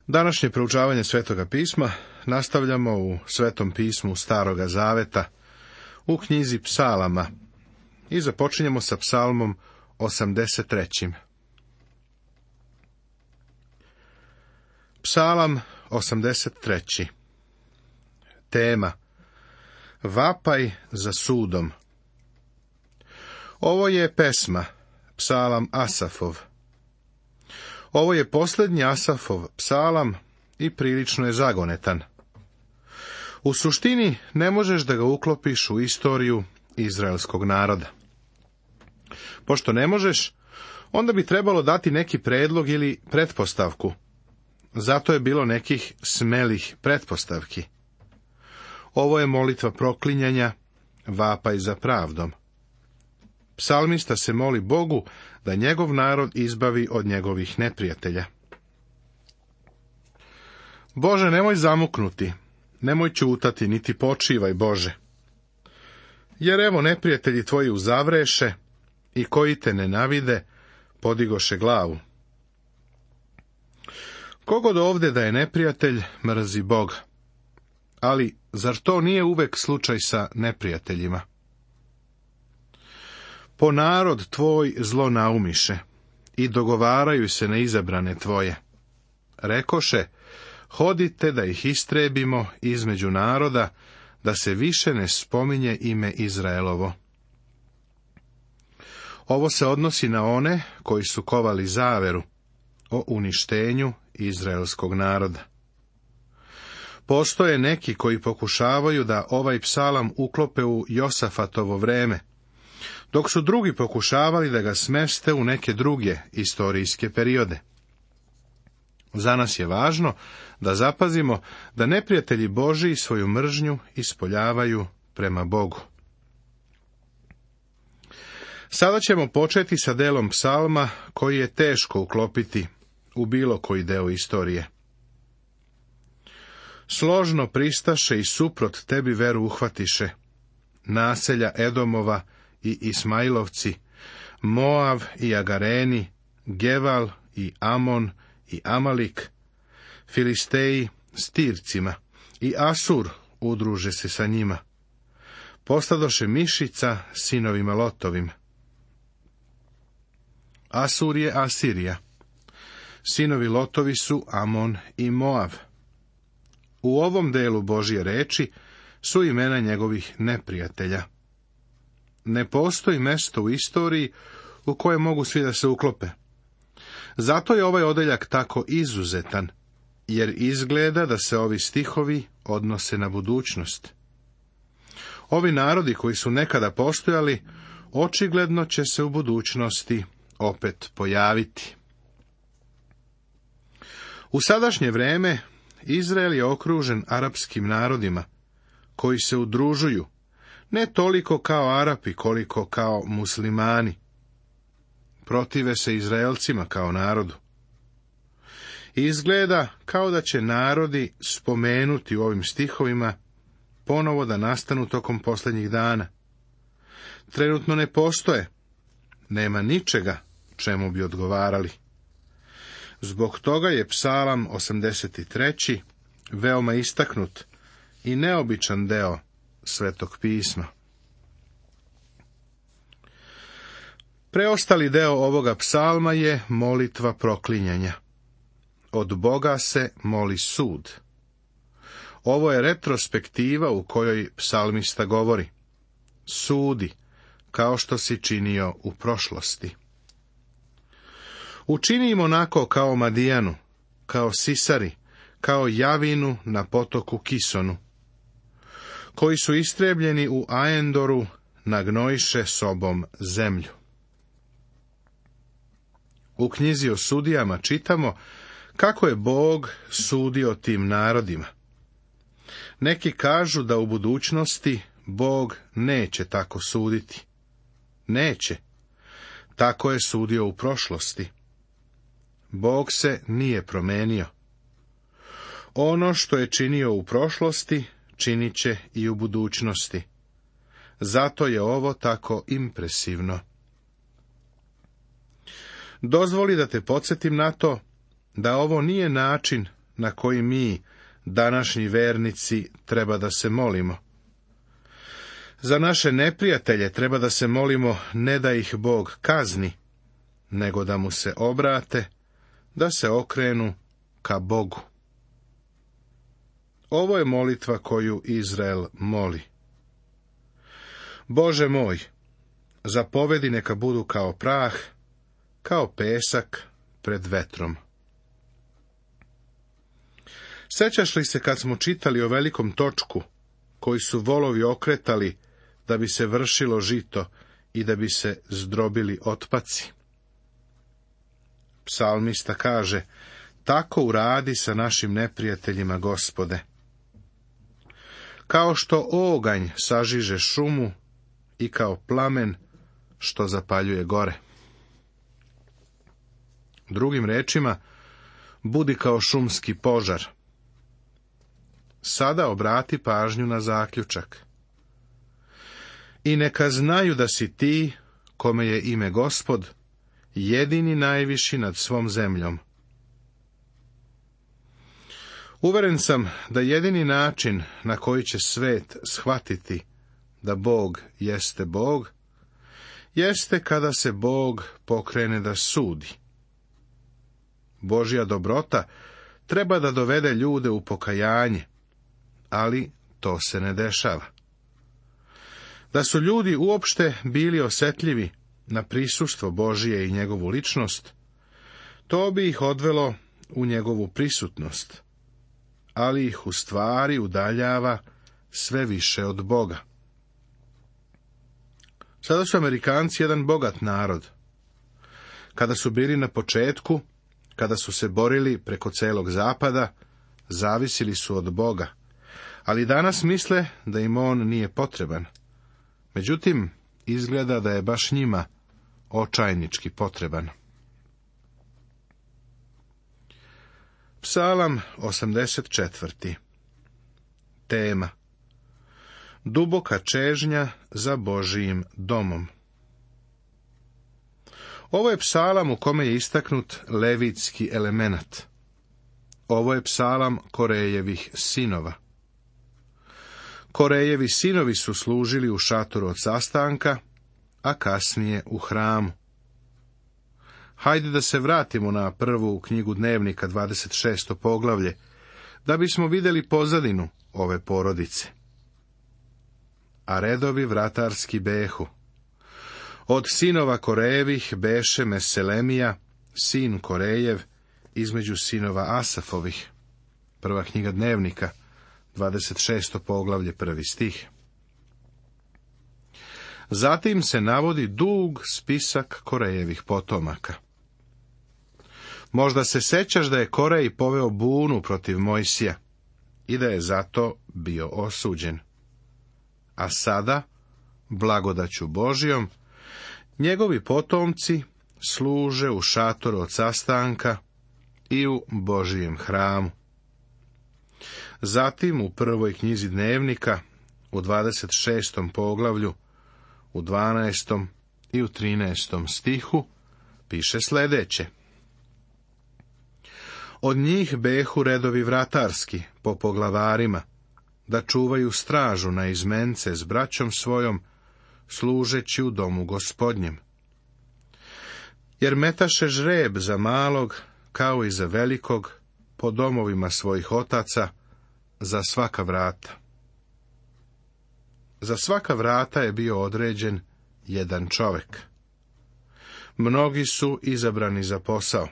Današnje proučavanje Svetoga pisma nastavljamo u Svetom pismu Staroga Zaveta, u knjizi Psalama, i započinjemo sa Psalmom 83. Psalam 83. Tema: Vapaj za sudom. Ovo je pesma, psalam Asafov. Ovo je posljednji Asafov psalam i prilično je zagonetan. U suštini ne možeš da ga uklopiš u istoriju izraelskog naroda. Pošto ne možeš, onda bi trebalo dati neki predlog ili pretpostavku. Zato je bilo nekih smelih pretpostavki. Ovo je molitva proklinjanja, vapaj za pravdom. Psalmista se moli Bogu da njegov narod izbavi od njegovih neprijatelja. Bože, nemoj zamuknuti, nemoj ćutati, niti počivaj, Bože. Jer evo neprijatelji tvoji uzavreše i koji te nenavide, podigoše glavu. Kogod ovdje da je neprijatelj, mrzi Boga. Ali zar to nije uvek slučaj sa neprijateljima? Po narod tvoj zlo naumiše i dogovaraju se na izabrane tvoje. Rekoše, hodite da ih istrebimo između naroda, da se više ne spominje ime Izraelovo. Ovo se odnosi na one koji su kovali zaveru o uništenju izraelskog naroda. Postoje neki koji pokušavaju da ovaj psalam uklope u Josafatovo vreme, dok su drugi pokušavali da ga smeste u neke druge istorijske periode. Za nas je važno da zapazimo da neprijatelji Božji svoju mržnju ispoljavaju prema Bogu. Sada ćemo početi sa delom psalma koji je teško uklopiti u bilo koji deo istorije. Složno pristaše i suprot tebi veru uhvatiše, naselja Edomova i Ismailovci, Moav i Agareni, Geval i Amon i Amalik, Filisteji s Tircima i Asur udruže se sa njima. Postadoše mišica sinovima Lotovim. Asur je Asirija. Sinovi Lotovi su Amon i Moav. U ovom delu Božje reči su imena njegovih neprijatelja. Ne postoji mesto u istoriji u koje mogu svi da se uklope. Zato je ovaj odeljak tako izuzetan, jer izgleda da se ovi stihovi odnose na budućnost. Ovi narodi koji su nekada postojali, očigledno će se u budućnosti opet pojaviti. U sadašnje vreme Izrael je okružen arapskim narodima, koji se udružuju, ne toliko kao Arapi, koliko kao muslimani. Protive se Izraelcima kao narodu. Izgleda kao da će narodi spomenuti u ovim stihovima ponovo da nastanu tokom posljednjih dana. Trenutno ne postoje, nema ničega čemu bi odgovarali. Zbog toga je psalam 83. veoma istaknut i neobičan deo Svetog pisma. Preostali deo ovoga psalma je molitva proklinjanja. Od Boga se moli sud. Ovo je retrospektiva u kojoj psalmista govori: sudi, kao što si činio u prošlosti. Učini im onako kao Madijanu, kao Sisari, kao Javinu na potoku Kisonu, koji su istrebljeni u Aendoru, nagnojiše sobom zemlju. U knjizi o sudijama čitamo kako je Bog sudio tim narodima. Neki kažu da u budućnosti Bog neće tako suditi. Neće. Tako je sudio u prošlosti. Bog se nije promenio. Ono što je činio u prošlosti, činit će i u budućnosti. Zato je ovo tako impresivno. Dozvoli da te podsjetim na to da ovo nije način na koji mi, današnji vernici, treba da se molimo. Za naše neprijatelje treba da se molimo ne da ih Bog kazni, nego da mu se obrate, da se okrenu ka Bogu. Ovo je molitva koju Izrael moli. Bože moj, zapovedi neka budu kao prah, kao pesak pred vetrom. Sećaš li se kad smo čitali o velikom točku, koji su volovi okretali da bi se vršilo žito i da bi se zdrobili otpaci? Psalmista kaže, tako uradi sa našim neprijateljima, Gospode. Kao što oganj sažiže šumu i kao plamen što zapaljuje gore. Drugim rečima, budi kao šumski požar. Sada obrati pažnju na zaključak. I neka znaju da si ti, kome je ime Gospod, jedini najviši nad svom zemljom. Uveren sam da jedini način na koji će svet shvatiti da Bog jeste Bog, jeste kada se Bog pokrene da sudi. Božja dobrota treba da dovede ljude u pokajanje, ali to se ne dešava. Da su ljudi uopšte bili osjetljivi na prisustvo Božije i njegovu ličnost, to bi ih odvelo u njegovu prisutnost, ali ih u stvari udaljava sve više od Boga. Sada su Amerikanci jedan bogat narod. Kada su bili na početku, kada su se borili preko celog zapada, zavisili su od Boga, ali danas misle da im on nije potreban. Međutim, izgleda da je baš njima očajnički potreban. Psalam 84. Tema: duboka čežnja za Božijim domom. Ovo je psalam u kome je istaknut levitski elemenat. Ovo je psalam Korejevih sinova. Korejevi sinovi su služili u šatoru od sastanka, a kasnije u hramu. Hajde da se vratimo na prvu knjigu Dnevnika, 26. poglavlje, da bismo vidjeli pozadinu ove porodice. A redovi vratarski behu. Od sinova Korejevih beše Meselemija, sin Korejev, između sinova Asafovih. Prva knjiga Dnevnika, 26. poglavlje, 1. stih. Zatim se navodi dug spisak Korejevih potomaka. Možda se sećaš da je Korej poveo bunu protiv Mojsija i da je zato bio osuđen. A sada, blagodaću Božijom, njegovi potomci služe u šatoru od sastanka i u Božijem hramu. Zatim u prvoj knjizi Dnevnika, u 26. poglavlju, u 12. i u 13. stihu, piše sljedeće. Od njih behu redovi vratarski, po poglavarima, da čuvaju stražu na izmence s braćom svojom, služeći u domu Gospodnjem. Jer metaše žreb za malog, kao i za velikog, po domovima svojih otaca, za svaka vrata. Za svaka vrata je bio određen jedan čovjek. Mnogi su izabrani za posao.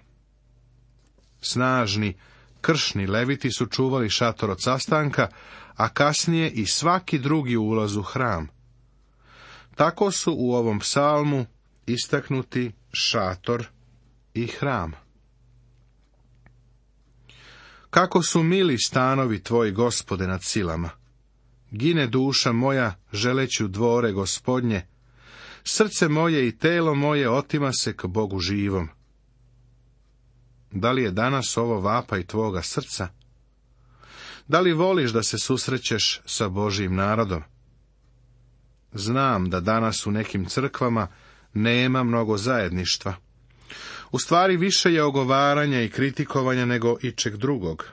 Snažni, kršni leviti su čuvali šator od sastanka, a kasnije i svaki drugi ulaz u hram. Tako su u ovom psalmu istaknuti šator i hram. Kako su mili stanovi tvoji, Gospode, nad silama! Gine duša moja želeći u dvore Gospodnje, srce moje i telo moje otima se k Bogu živom. Da li je danas ovo vapaj tvoga srca? Da li voliš da se susrećeš sa Božijim narodom? Znam da danas u nekim crkvama nema mnogo zajedništva. U stvari više je ogovaranja i kritikovanja nego ičeg drugog.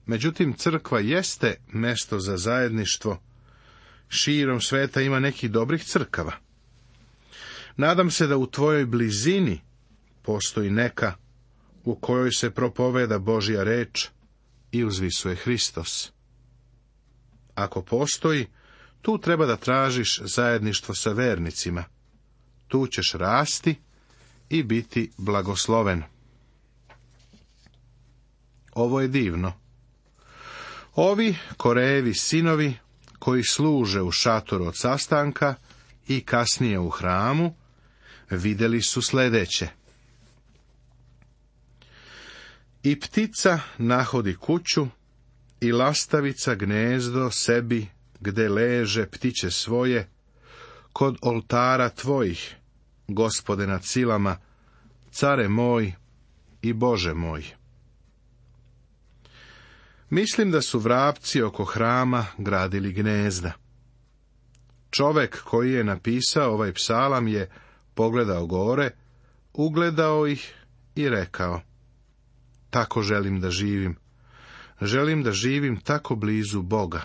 Međutim, crkva jeste mesto za zajedništvo. Širom sveta ima nekih dobrih crkava. Nadam se da u tvojoj blizini postoji neka u kojoj se propoveda Božja reč i uzvisuje Hristos. Ako postoji, tu treba da tražiš zajedništvo sa vernicima. Tu ćeš rasti i biti blagosloven. Ovo je divno. Ovi Korejevi sinovi koji služe u šatoru od sastanka i kasnije u hramu, vidjeli su sljedeće. I ptica nahodi kuću, i lastavica gnezdo sebi, gde leže ptiće svoje, kod oltara tvojih, Gospode nad silama, care moj i Bože moj. Mislim da su vrapci oko hrama gradili gnezda. Čovek koji je napisao ovaj psalam je pogledao gore, ugledao ih i rekao: tako želim da živim. Želim da živim tako blizu Boga.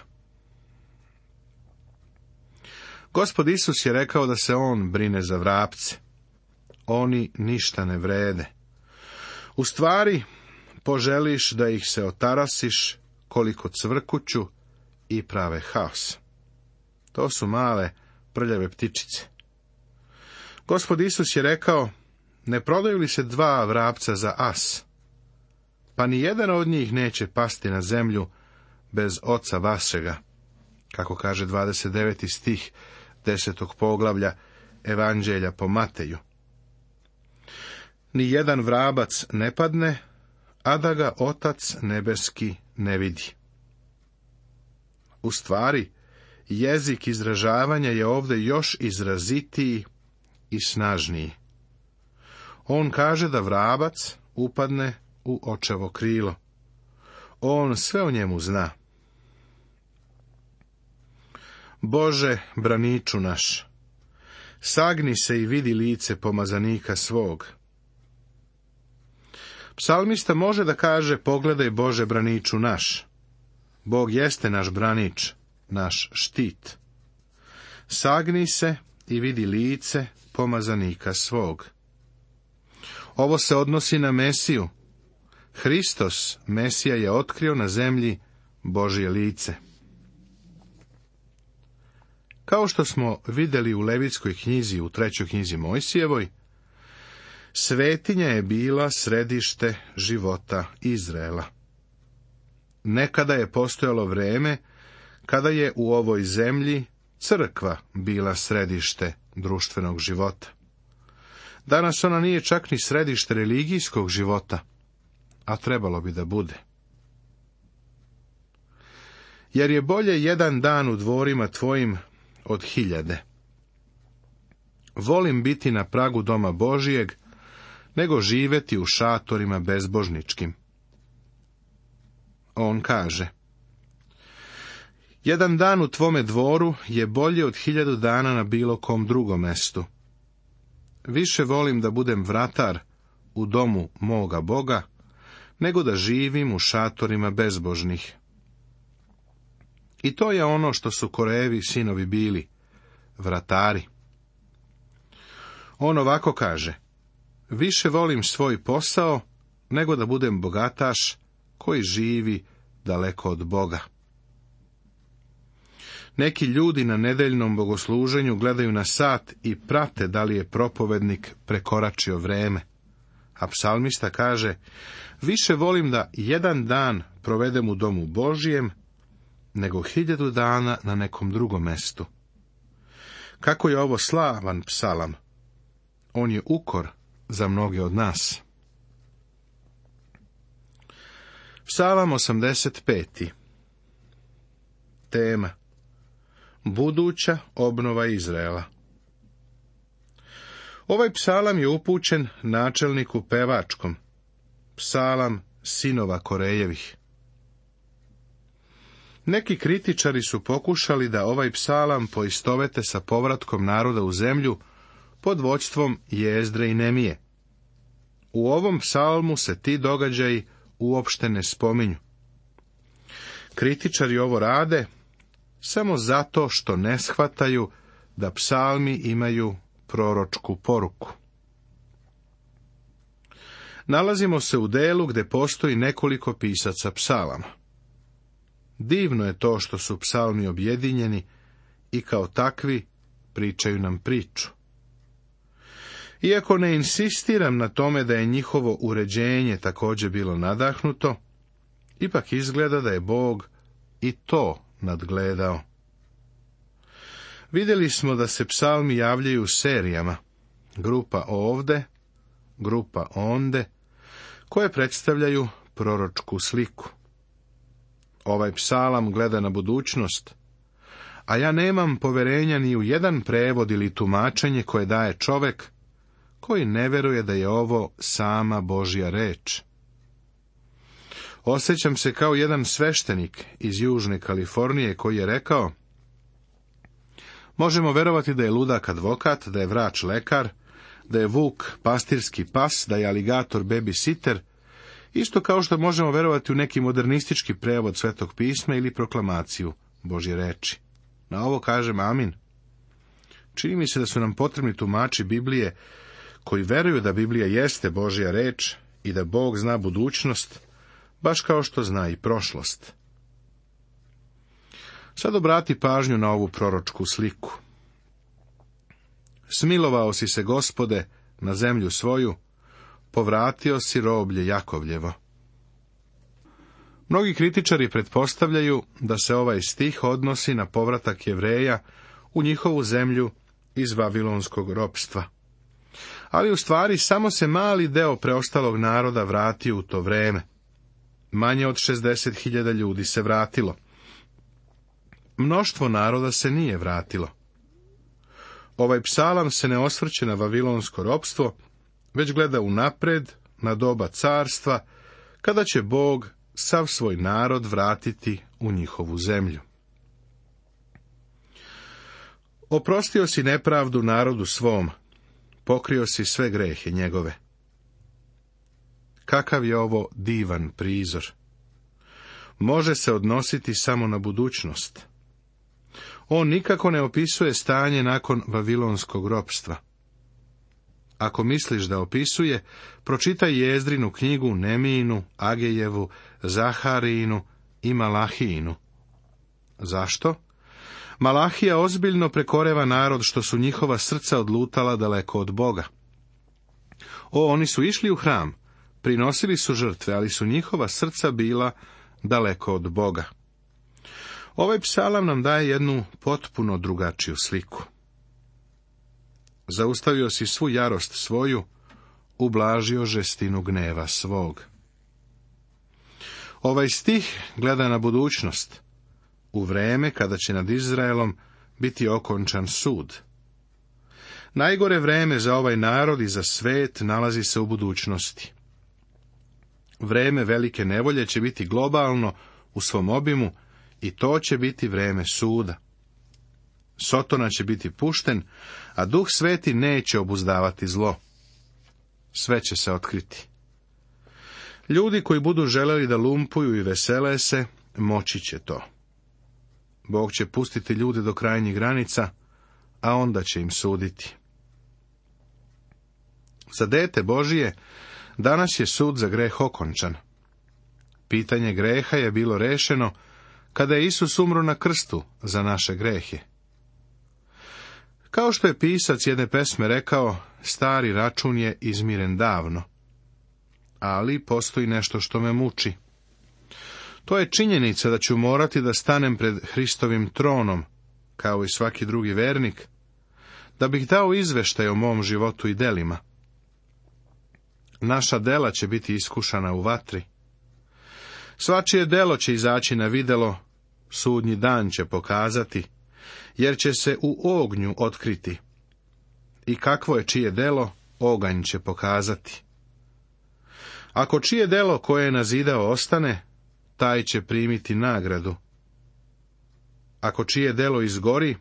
Gospod Isus je rekao da se on brine za vrapce. Oni ništa ne vrede. U stvari, poželiš da ih se otarasiš koliko cvrkuću i prave haos. To su male, prljave ptičice. Gospod Isus je rekao: ne prodaju li se 2 vrapca za as? Pa ni jedan od njih neće pasti na zemlju bez Oca vašega, kako kaže 29. stih 10. poglavlja Evanđelja po Mateju. Ni jedan vrabac ne padne, a da ga Otac nebeski ne vidi. U stvari, jezik izražavanja je ovdje još izrazitiji i snažniji. On kaže da vrabac upadne u očevo krilo. On sve o njemu zna. Bože, braniču naš, sagni se i vidi lice pomazanika svog. Psalmista može da kaže: pogledaj, Bože, braniču naš. Bog jeste naš branič, naš štit. Sagni se i vidi lice pomazanika svog. Ovo se odnosi na Mesiju. Hristos, Mesija, je otkrio na zemlji Božje lice. Kao što smo vidjeli u Levitskoj knjizi, u 3. knjizi Mojsijevoj, svetinja je bila središte života Izraela. Nekada je postojalo vreme kada je u ovoj zemlji crkva bila središte društvenog života. Danas ona nije čak ni središte religijskog života, a trebalo bi da bude. Jer je bolje jedan dan u dvorima tvojim od 1000. Volim biti na pragu doma Božijeg, nego živeti u šatorima bezbožničkim. On kaže: jedan dan u tvome dvoru je bolje od 1000 dana na bilo kom drugom mestu. Više volim da budem vratar u domu moga Boga, nego da živim u šatorima bezbožnih. I to je ono što su Korejevi sinovi bili, vratari. On ovako kaže: više volim svoj posao, nego da budem bogataš koji živi daleko od Boga. Neki ljudi na nedeljnom bogosluženju gledaju na sat i prate da li je propovednik prekoračio vreme. A psalmista kaže: više volim da jedan dan provedem u domu Božijem, nego 1000 dana na nekom drugom mestu. Kako je ovo slavan psalam! On je ukor za mnoge od nas. Psalam 85. Tema: buduća obnova Izraela. Ovaj psalam je upućen načelniku pevačkom, psalam sinova Korejevih. Neki kritičari su pokušali da ovaj psalam poistovete sa povratkom naroda u zemlju pod vođstvom Jezdre i Nemije. U ovom psalmu se ti događaji uopšte ne spominju. Kritičari ovo rade samo zato što ne shvataju da psalmi imaju proročku poruku. Nalazimo se u delu gdje postoji nekoliko pisaca psalama. Divno je to što su psalmi objedinjeni i kao takvi pričaju nam priču. Iako ne insistiram na tome da je njihovo uređenje također bilo nadahnuto, ipak izgleda da je Bog i to nadgledao. Vidjeli smo da se psalmi javljaju serijama, grupa ovde, grupa onde, koje predstavljaju proročku sliku. Ovaj psalam gleda na budućnost, a ja nemam poverenja ni u jedan prevod ili tumačenje koje daje čovek koji ne veruje da je ovo sama Božja reč. Osjećam se kao jedan sveštenik iz Južne Kalifornije koji je rekao: možemo verovati da je ludak advokat, da je vrač lekar, da je vuk pastirski pas, da je aligator babysitter, isto kao što možemo verovati u neki modernistički prevod Svetog pisma ili proklamaciju Božje reči. Na ovo kažem amin. Čini mi se da su nam potrebni tumači Biblije koji veruju da Biblija jeste Božja reč i da Bog zna budućnost, baš kao što zna i prošlost. Sad obrati pažnju na ovu proročku sliku. Smilovao si se, Gospode, na zemlju svoju, povratio si roblje Jakovljevo. Mnogi kritičari pretpostavljaju da se ovaj stih odnosi na povratak Jevreja u njihovu zemlju iz vavilonskog ropstva. Ali u stvari samo se mali deo preostalog naroda vratio u to vreme. Manje od 60.000 ljudi se vratilo. Mnoštvo naroda se nije vratilo. Ovaj psalam se ne osvrće na vavilonsko ropstvo, već gleda unapred na doba carstva, kada će Bog sav svoj narod vratiti u njihovu zemlju. Oprostio si nepravdu narodu svom, pokrio si sve grehe njegove. Kakav je ovo divan prizor! Može se odnositi samo na budućnost. On nikako ne opisuje stanje nakon vavilonskog ropstva. Ako misliš da opisuje, pročitaj Jezdrinu knjigu, Nemijinu, Agejevu, Zaharijinu i Malahijinu. Zašto? Malahija ozbiljno prekoreva narod što su njihova srca odlutala daleko od Boga. Oni su išli u hram, prinosili su žrtve, ali su njihova srca bila daleko od Boga. Ovaj psalam nam daje jednu potpuno drugačiju sliku. Zaustavio si svu jarost svoju, ublažio žestinu gneva svog. Ovaj stih gleda na budućnost, u vreme kada će nad Izraelom biti okončan sud. Najgore vreme za ovaj narod i za svet nalazi se u budućnosti. Vreme velike nevolje će biti globalno u svom obimu i to će biti vreme suda. Sotona će biti pušten, a Duh Sveti neće obuzdavati zlo. Sve će se otkriti. Ljudi koji budu želeli da lumpuju i vesele se, moći će to. Bog će pustiti ljude do krajnjih granica, a onda će im suditi. Za dete Božije danas je sud za greh okončan. Pitanje greha je bilo rešeno kada je Isus umro na krstu za naše grehe. Kao što je pisac jedne pesme rekao, stari račun je izmiren davno. Ali postoji nešto što me muči. To je činjenica da ću morati da stanem pred Hristovim tronom, kao i svaki drugi vernik, da bih dao izveštaj o mom životu i delima. Naša dela će biti iskušana u vatri. Svačije delo će izaći na videlo, sudnji dan će pokazati, jer će se u ognju otkriti. I kakvo je čije delo, oganj će pokazati. Ako čije delo koje je nazidao ostane, taj će primiti nagradu. Ako čije delo izgori,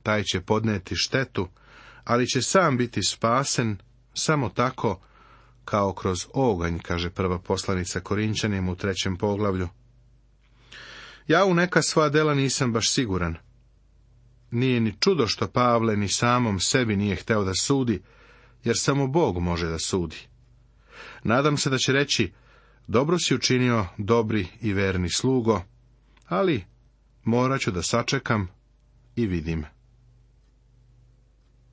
taj će podneti štetu, ali će sam biti spasen samo tako kao kroz oganj, kaže prva poslanica Korinćanima u 3. poglavlju. Ja u neka sva dela nisam baš siguran. Nije ni čudo što Pavle ni samom sebi nije hteo da sudi, jer samo Bog može da sudi. Nadam se da će reći, dobro si učinio, dobri i verni slugo, ali morat ću da sačekam i vidim.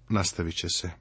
Nastavit će se.